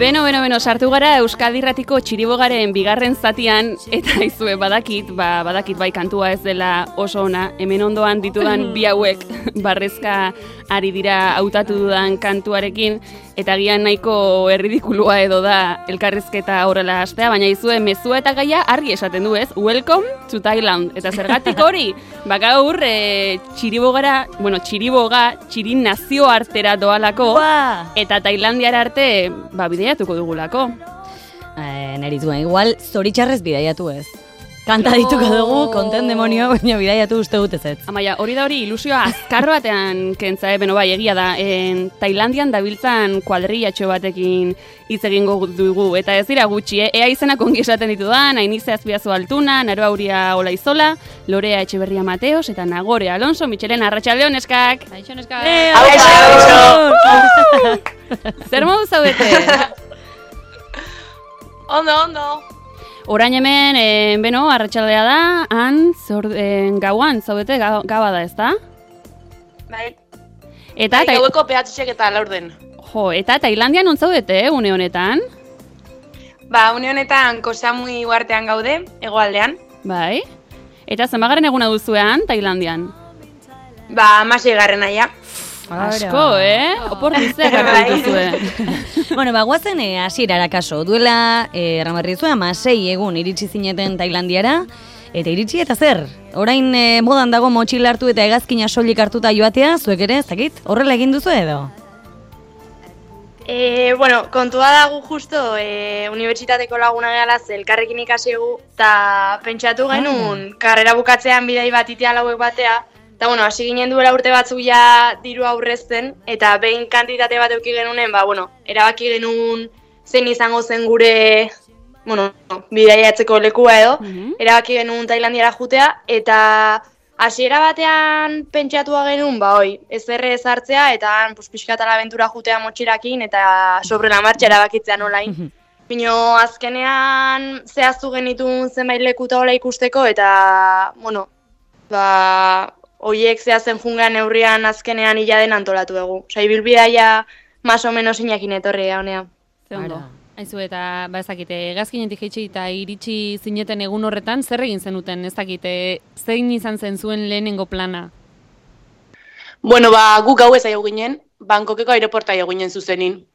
Beno, sartu gara Euskadi Irratiko Txiribogaren bigarren zatian, eta izue badakit bai kantua ez dela oso ona, hemen ondoan ditudan bi hauek barrezka ari dira hautatu dudan kantuarekin, eta gian nahiko erridikulua edo da elkarrizketa horrela hastea, baina izue mezua eta gaia argi esaten du ez, welcome to Thailand, eta zergatik hori, gaur Txiriboga, Txirin nazioartera doalako, eta Tailandiara arte, bideiatuko dugulako. Nerituen, igual zoritxarrez bideiatu ez. Kanta dituko dugu, konten demonio, baina bidaiatu uste dut ez. Amaia, hori da hori ilusioa azkar batean kentza, egia da, Tailandian dabiltzan kuadrillatxo batekin hitz egingo dugu, eta ez dira gutxi, ea izenak ongi esaten ditudan, Ainize Azpiazu Altuna, Naroa Uria Olaizola, Lorea Etxeberria Mateos, eta Nagore Alonso, Mitxelen Arratxaldeon neskak! Aixo neskak! Zer modu zaudete? Ondo! Orain hemen, arratsaldea da, gauan, zaudete, gaba da, ez da? Bai. Eta gaueko pehatxek eta laurden. Jo, eta Tailandian non zaudete, une honetan? Une honetan Koh Samui uhartean gaude, hegoaldean. Bai. Eta zenbagaren eguna duzuean, Tailandian? 16. ja. Asko, Opor dizea garra dituzue. Guazen hasierara kaso. Duela, erramarri zuen, 6 egun iritsi zineten Tailandiara. Eta iritsi eta zer? Orain modan dago motxila hartu eta hegazkina soilik hartuta joatea, zuek ere, ez dakit? Horrela egin duzu edo? Kontua dago justo, unibertsitateko laguna gehalaz elkarrekin ikasi egu, eta pentsatu genuen, karrera bukatzean bidai bat itea lauek batea, eta hasi ginen duela urte batzuk ja diru aurrezten, eta behin kantitate bat euki genunen, erabaki genuen zein izango zen gure, bidaiatzeko lekua edo, erabaki genuen Tailandiara jutea, eta hasiera batean pentsatua genuen, ez errez hartzea, eta pixkat abentura jutea motxilakin, eta sobre la marcha erabakitzea nolain. Pino, azkenean zehaztu genitun zenbait lekuta hola ikusteko, eta, oiek zehazen jungan neurrian azkenean hiladen antolatu dugu. Ibilbidaia más o menos inakin etorri honea. Ze ondo. Aizu eta, ezakite, hegazkinetik jaitsi eta iritsi zineten egun horretan, zer egin zenuten, ezakite, zein izan zen zuen lehenengo plana? Guk gau ez aio ginen, Bangkokeko aeroporta aio ginen zuzenin.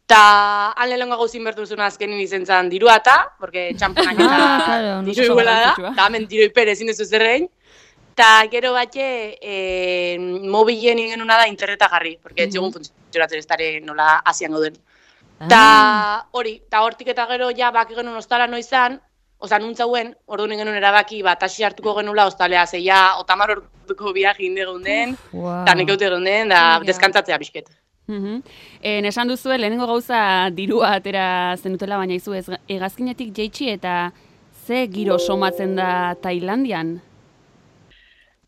Ta, han lehenengo gauzin bertu zuen azkenin izen zan dirua porque txamponak eta diru iguela da, eta hemen diru ipere ezin dezu zerrein. Ta gero batxe, mobilen ingenuna da interneta jarri, porque etxegun funtzionatzen ez dara nola asian gauden. Ta hori, ta hortik eta gero ja baki genuen ostala noizan, nuntzauen, ordu genuen erabaki taxi hartuko genula ostalea, zeia, 30 orduko viaje inde geunden, eta nekeute geunden, da deskantzatzea bizket. Esan duzue, lehenengo gauza dirua atera zenutela, baina izu hegazkinetik jaitsi eta ze giro somatzen da Tailandian?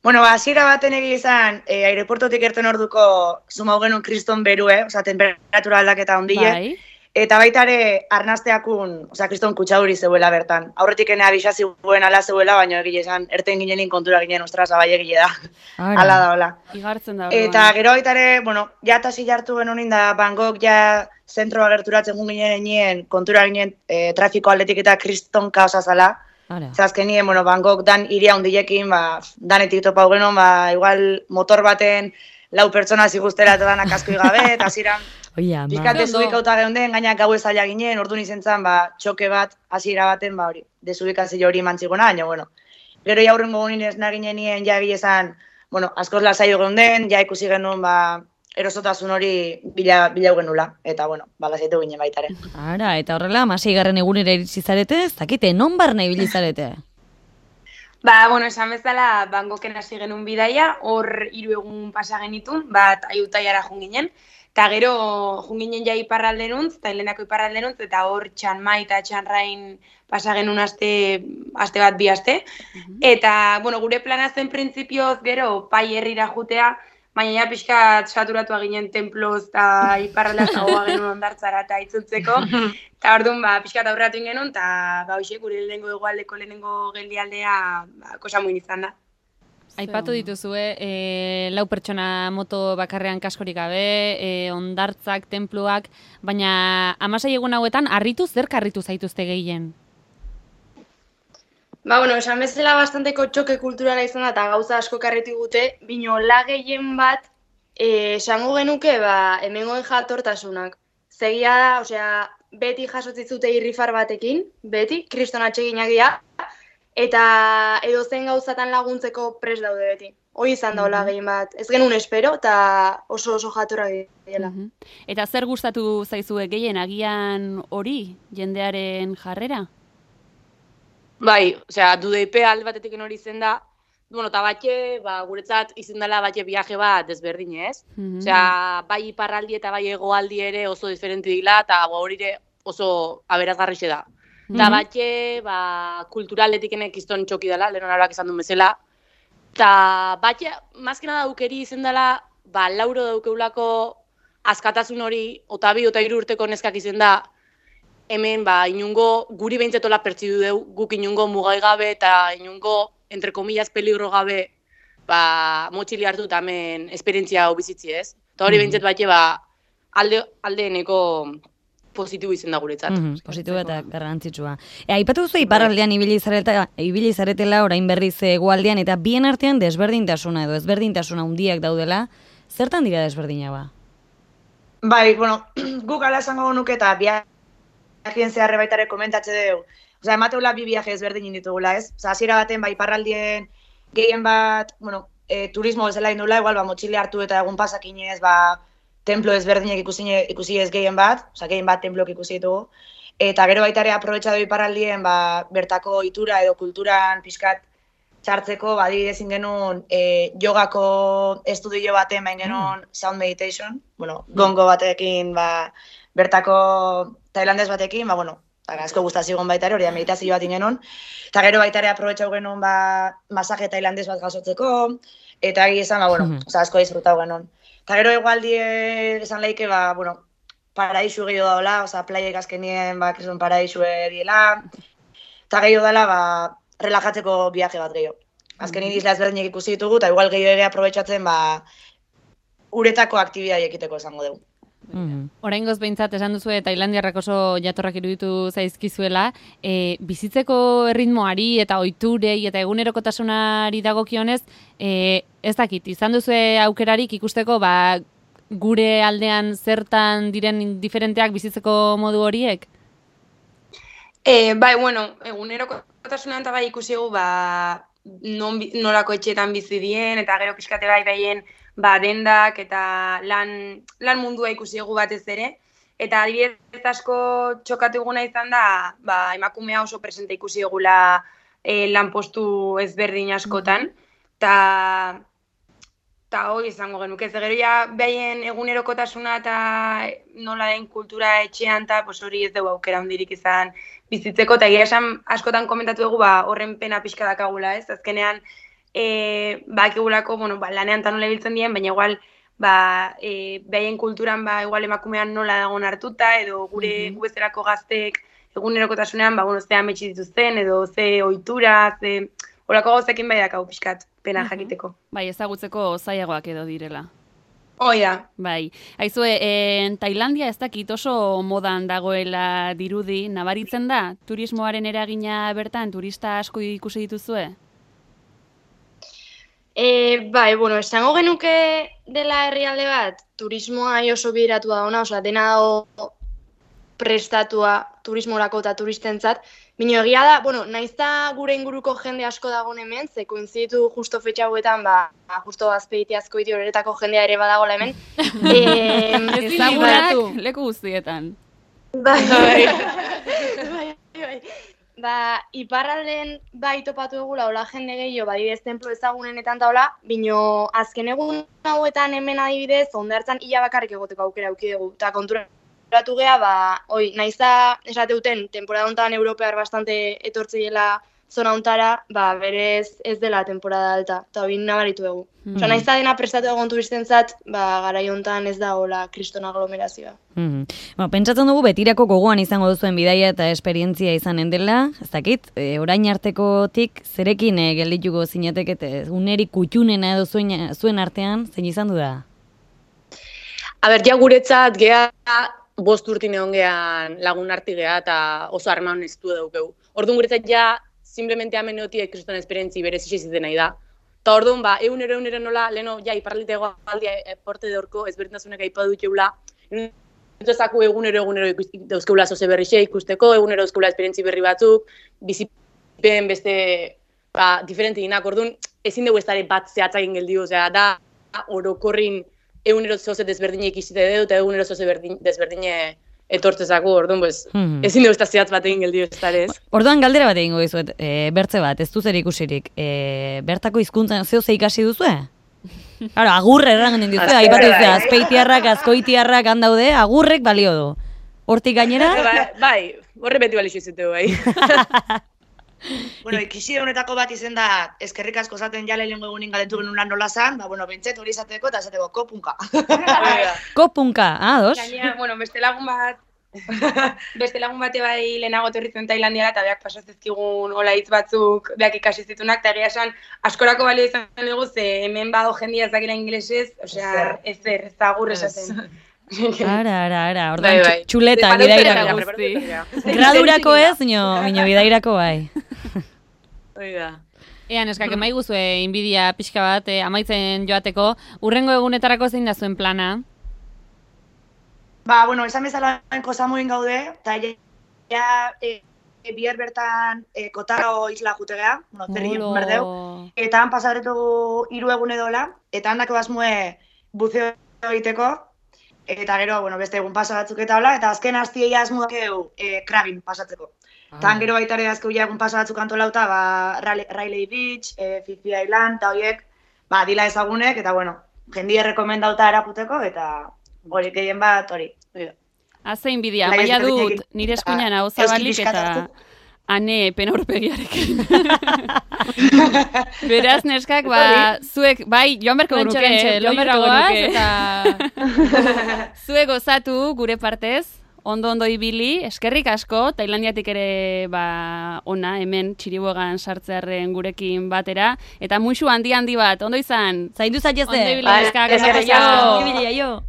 Hasiera baten izan, aireportotik erten orduko zumau genuen kriston berue, temperatura aldaketa ondile, eta baita ere arnazteakun, kriston kutsaduri zeuela bertan. Aurretik ene abixazi guen ala zeuela, baina egile esan, erten ginenin kontura ginen, ostras, abai egile da. Ala da, hola. Igartzen da. Eta gero baita ere, ja tasi jartu genuen da, Bangkok ja zentroa gerturatzen ginen nien, kontura ginen trafiko aldetik eta kriston kaosa zala. Azkenien, Bangkok dan iria hundilekin, danetik topau genuen, igual motor baten 4 pertsona ziguztera eta danak askoi gabe, eta ziren pizkat desubikauta geunden, gainak gau ezaila ginen, orduan izen zan, txoke bat, hasiera baten, desubikazio hori mantzigona, baina, gero jaurrengo gunin ez naginen nien, ja egilezan, askoz lasaio geunden, ja ikusi genuen, erosotasun hori bila genula, eta, lasaitu ginen baitare. Eta horrela, 6. egunera iritsi zarete, ez dakite, non barna ibili zarete? Esan bezala, Bangkoken hasi genuen bidaia, hor 3 egun pasa genitun, bat Ayutthayara junginen, eta gero junginen ja iparraldenuntz, Tailandiako iparraldenuntz, eta hor Chiang Mai eta Chiang Rain pasa genuen aste bat 2 aste. Eta, gure plana zen printzipioz gero Pai herrira jutea, baina ja pixkat saturatua ginen temploz eta iparraldeaz dagoa genuen ondartzara eta itzultzeko. Eta orduan, pixkat aurratu ingenuen, eta hoxe, gure lehenengo egualdeko lehenengo geldialdea Koh Samuin izan da. Aipatu dituzue, 4 pertsona moto bakarrean kaskorik gabe, ondartzak, tenpluak, baina 16 egun hauetan zer karritu zaituzte gehien? Esan bezala bastanteko txoke kulturala izan da, eta gauza asko karritu gute, bino la gehien bat, esango genuke, hemengoen jatortasunak. Zegia da, osea, beti jasotzizute irrifar batekin, beti, kriston atseginak dira, eta edozen gauzatan laguntzeko prest daude beti. Hoi izan daula gehien bat. Ez genuen espero, eta oso jatorra dela. Eta zer gustatu zaizue gehien agian hori, jendearen jarrera? Bai, osea, DUDP alde batetik hori izen da, eta batxe, guretzat izen dela batxe viaje bat desberdin, ez? Osea, bai iparraldi eta bai hegoaldi ere oso diferenti dila, eta hori oso aberazgarrixe da. Eta batxe, kulturaletik kiston txoki dela, lehen honaroak esan duen bezala. Eta batxe, mazkena daukeri izen dela, lauro daukeulako askatasun hori, ota 2 eta 3 urteko neskak izen da, hemen, inungo, guri behintzetola pertsidu deu, guk inungo mugai gabe eta inungo, entre comillas, peligro gabe, motxili hartu eta hemen esperientzia hau bizitzi, ez? Eta hori behintzet batxe, aldeeneko positibo izen da guretzat. Positibo eta garrantzitsua. Aipatu duzu iparraldean ibili zaretela orain berriz hegoaldean, eta bien artean desberdintasuna edo ezberdintasuna handiak daudela, zertan dira desberdina ba? Bai, guk ala esango nuke eta viajeen zeharre baitare komentatze dugu. Osa, emateula 2 viaje ezberdin ditugula, ez? Osa, hasiera baten, iparraldien gehien bat, turismo bezala indula, igual, motxile hartu eta egun pasakinez, templo ezberdinek ikusi ez gehien bat, osa, gehien bat templok ikusi ditugu. Eta gero baitare aprobetxatu iparraldien, bertako itura edo kulturan pixkat txartzeko, badibidezin genuen jogako estudio baten, bain genuen sound meditation, gongo batekin, bertako tailandez batekin, asko gustazigon baitare, hori da meditazio bat ingenon. Eta gero baitare aprobetxau genuen masaje tailandez bat gasotzeko, eta egi esan, asko disfrutau genuen. Eta gero egualdie esan leike, paraisu gehiago daula, playek azkenien, paraisu diela. Eta gehiago dela, relajatzeko viaje bat gehiago. Azkenin isla ezberdinek ikusi ditugu, eta igual gehiago ere aprobetxatzen, uretako aktibidea ekiteko esango dugu. Oraingoz behintzat esan duzu Tailandiarrak oso jatorrak iruditu zaizkizuela, bizitzeko erritmoari eta ohiturei eta egunerokotasunari dagokionez, ez dakit, izan duzu aukerarik ikusteko gure aldean zertan diren diferenteak bizitzeko modu horiek? Bai, egunerokotasunan eta ikusi egu, nolako etxeetan bizi dien, eta gero pixkate behien dendak eta lan mundua ikusi egu batez ere. Eta adibidez asko txokatu eguna izan da, emakumea oso presente ikusi egula lanpostu ezberdin askotan. Eta hori izango genuke, gero ja behien egunerokotasuna eta nola den kultura etxean, eta hori ez dugu aukera hondirik izan bizitzeko, eta egia esan askotan komentatu dugu horren pena pixka dakagula, ez? Azkenean, bakigulako, lanean eta nola biltzen dien, baina igual, behien kulturan, igual emakumean nola dagoen hartuta, edo gure gubezerako gaztek egunerokotasunean, ze ametsi dituzten, edo ze ohitura, ze horako gauzekin dakau pixkat, pena jakiteko. Bai, ezagutzeko zailagoak edo direla. Hoi da. Bai, aizue, Tailandia ez dakit oso modan dagoela dirudi, nabaritzen da, turismoaren eragina bertan, turista asko ikusi dituzue? Bai, esango genuke dela herrialde bat, turismoa oso bideratu da ona, dena dago prestatua turismorako eta turistentzat. Bino egia da, naizta gure inguruko jende asko dagoen hemen, ze koinziditu justo fetxa hauetan, justo azpeitiazko iti horretako jendea ere badagoela hemen. Ezagunak leku guztietan. Bai. Iparralden topatu egula, hola jende gehiago, adibidez templo ezagunenetan taula, bino azken egun hauetan hemen adibidez, ondartzan ia bakarrik egoteko aukera auki dugu, eta konturatu geha, naizta esateuten, temporada honetan europear bastante etortzeiela zona untara, berez ez dela temporada alta, eta hori nabaritu dugu. Osa, nahiz da dena prestatu egon turistentzat, garai hontan ez da hola kriston aglomerazioa. Pentsatzen dugu betirako gogoan izango duzuen bidaia eta esperientzia izanen dela, ez dakit, orain artekotik zerekin geldituko zinateke, unerik kutxunena edo zuen artean, zein izan du da? Ja guretzat, geha 5 urtin egon gehan lagun arti geha eta oso harreman estu daukegu. Orduan guretzat simplemente hemen egotiek kriston esperientzi berez iziziten nahi da. Eta orduan, egunero nola, leheno, iparraldite egoaldia porte de horko ezberdintasunek aipatu dutxeula, ezaku egunero dauzkeula zoze berrixe ikusteko, egunero dauzkeula esperientzi berri batzuk, bizipen beste diferente ginak, orduan, ezin dugu ez dara bat zehatzakin geldiu, da orokorrin egunero zoze desberdinek izite edo, eta egunero zoze desberdine etortzezaku, orduan, ezin dugu ez da zehatz bat egin geldiu ez darez. Orduan galdera bat egingo dizuet, bertze bat, ez duzer ikusirik, bertako hizkuntzan zeo ze ikasi duzue? Claro, agurre errangen duzue, aipatu duzue, azpeitiarrak, azkoitiarrak handaude, agurrek balio du. Hortik gainera? Bai, horre beti balixo izute bai. Bueno, ikisi honetako bat izen da, eskerrik asko zaten jale lehenko egunin galetu genuen lan nola zan, bentsat hori izateko eta esateko kopunka. Kopunka, dos? Gainea, beste lagun bate bai lehenago torritzen Tailandiara eta beak pasazizkigun hola hitz batzuk beak ikasi zitunak, eta egia esan askorako balio izan dugu, ze hemen bado jendia ez dakila ingelesez, osea, ez da agur esaten. Ara, orduan txuleta, bidairako guzti. Gradurako ez, mino bidairako bai. Ean, eskak, emai guzue inbidia pixka bat, amaitzen joateko, urrengo egunetarako zein da zuen plana? Esan bezala kosamuin gaude, eta bihar bertan Kotarro isla jutegea, zerri berdeu, eta han pasaretu 3 egun edola, eta handako basmue buzeo egiteko, eta gero, beste egun pasa batzuk eta hola, eta azken hastiei asmuak Krabin pasatzeko. Eta gero baitare azkeu egun pasa batzuk antolauta, Riley Beach, Fifi Island, eta horiek, dila ezagunek, eta jendia rekomendauta eraputeko, eta hori gehien bat hori. Zein bidea, maia dut nire eskuinan hau zabalik eta ane penaurpegiarekin. Beraz, neskak, zuek, joan berko genuke, zuek gozatu gure partez, ondo ibili, eskerrik asko, Tailandiatik ere ona, hemen txiribogan sartzearen gurekin batera, eta muixu handi bat, ondo izan? Zaindu zaitezte. Ondo ibili, neskak. Eskerrik asko.